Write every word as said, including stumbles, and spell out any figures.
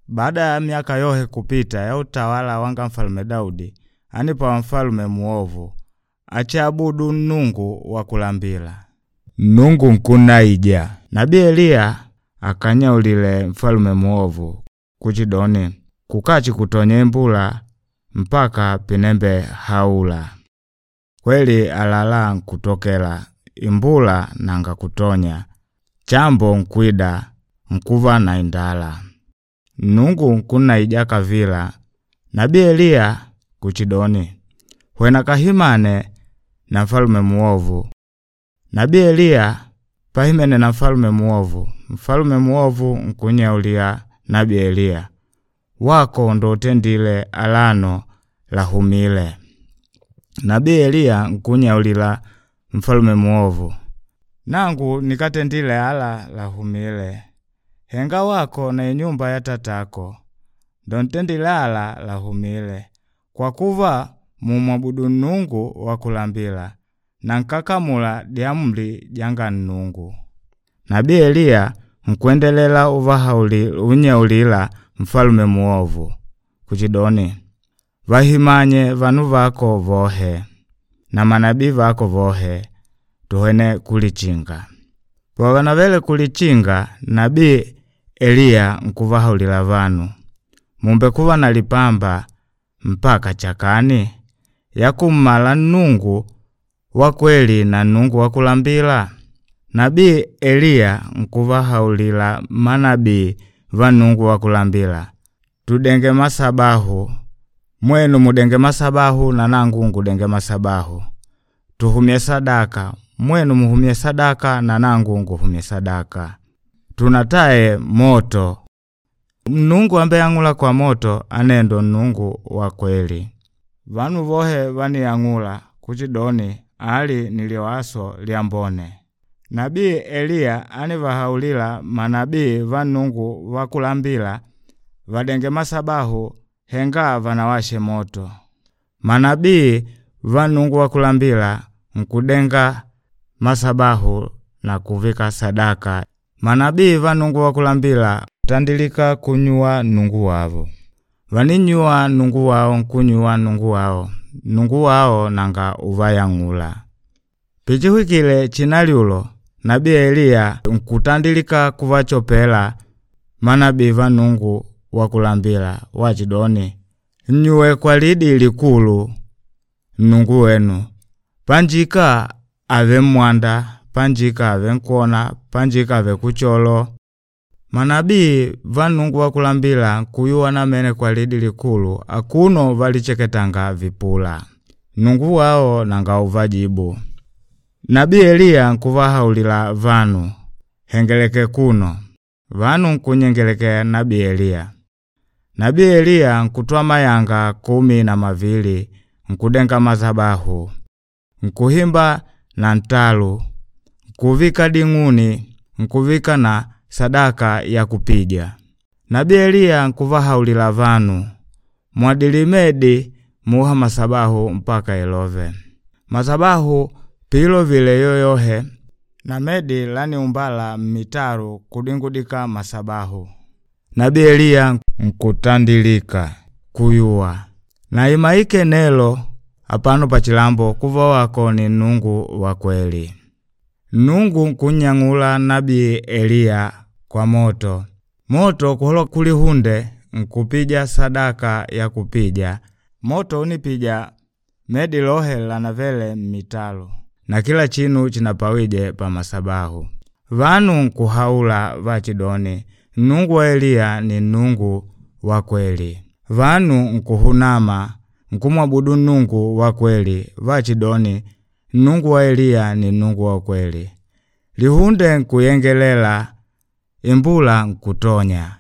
Baada ya miaka yohe kupita ya utawala wanga mfalume Daudi, anipawa mfalume muovu achiabudu nnungu wa kulambila. Nnungu nkunaija. Nabii Eliya akanyaulile mfalume muovu kuchidoni kukachi kutonya imbula mpaka pinembe haula. Kweli alala nkutokela imbula nanga kutonya chambo nkwida nkuva na indala. Nnungu nkunaija kavila Nabii Eliya kuchidoni hwena kahimane na mfalume muovu. Nabii Eliya pahimene na mfalume muovu. Mfalume muovu nkunyaulia Nabii Eliya wako ndo utendile alano lahumile. Nabii Eliya nkunyaulila mfalume muovu nangu nikatendile ala lahumile henga wako na inyumba ya tatako ndo ntendile ala lahumile kwa kuva mumwabudu nnungu wa kulambila na nkakamula diamri janga nnungu. Nabii Eliya nkwendelela uvahauli unyaulila mfalume muovu kuchidoni vahimanye vanu vako vohe na manabii vako vohe tuhene kulichinga. Pavanavele kulichinga nabii Eliya nkuvahaulila vanu mumbe kuva na lipamba mpaka chakani yakummala nnungu wa kweli na nnungu wa kulambila. Nabii Eliya nkuvahaulila manabii va nnungu wa kulambila tudenge masabahu mwenu mudenge masabahu na nangu ngudenge masabahu tuhumye sadaka mwenu muhumye sadaka na nangu nguhumye sadaka tunataye moto nnungu ambe ang'ula kwa moto anendo nnungu wa kweli. Vanu vohe vaniyang'ula kuchidoni ali niliwaso lyambone. Nabii Eliya anivahaulila manabii va nnungu wa kulambila vadenge masabahu henga vanawashe moto. Manabii va nnungu wa kulambila nkudenga masabahu na kuvika sadaka. Manabii va nnungu wa kulambila tandilika kunyuwa nnungu wavo. Vaninyuwa nnungu wao nkunyuwa nnungu wao nnungu wao nanga uvayang'ula. Pichihwikile chinalyulo Nabii Eliya nkutandilika kuvachopela manabii va nnungu wa kulambila wachidoni nnyuwe kwa lidi likulu nnungu wenu panjika ave mmwanda panjika ave nkwona panjika ave kucholo. Manabii va nnungu wa kulambila nkuyuwa namene kwa lidi likulu akuno valicheketanga vipula. Nnungu wao nanga uvajibu. Nabii Eliya nkuvahaulila vanu hengeleke kuno. Vanu nkunyengelekea Nabii Eliya. Nabii Eliya nkutwa mayanga kumi na mavili nkudenga mazabahu nkuhimba na ntalu nkuvika ding'uni nkuvika na sadaka ya kupija. Nabii Eliya nkuvahaulila vanu mwadilimedi muha masabahu mpaka ilove. Masabahu piilovile yoyohe na medi laniumbala mmitalu kudingudika masabahu. Nabii Eliya nkutandilika kuyuwa na imaike nelo apano pachilambo kuva wako ni nnungu wa kweli. Nnungu nkunyang'ula Nabii Eliya kwa moto. Moto kuholoka kulihunde nkupija sadaka ya kupija. Moto unipija medi lohe lanavele mmitalu na kila chinu chinapawije pa masabahu. Vanu nkuhaula vachidoni nnungu wa Eliya ni nnungu wa kweli. Vanu nkuhunama nkumwabudu nnungu wa kweli vachidoni nnungu wa Eliya ni nnungu wa kweli. Lihunde nkuyengelela imbula nkutonya.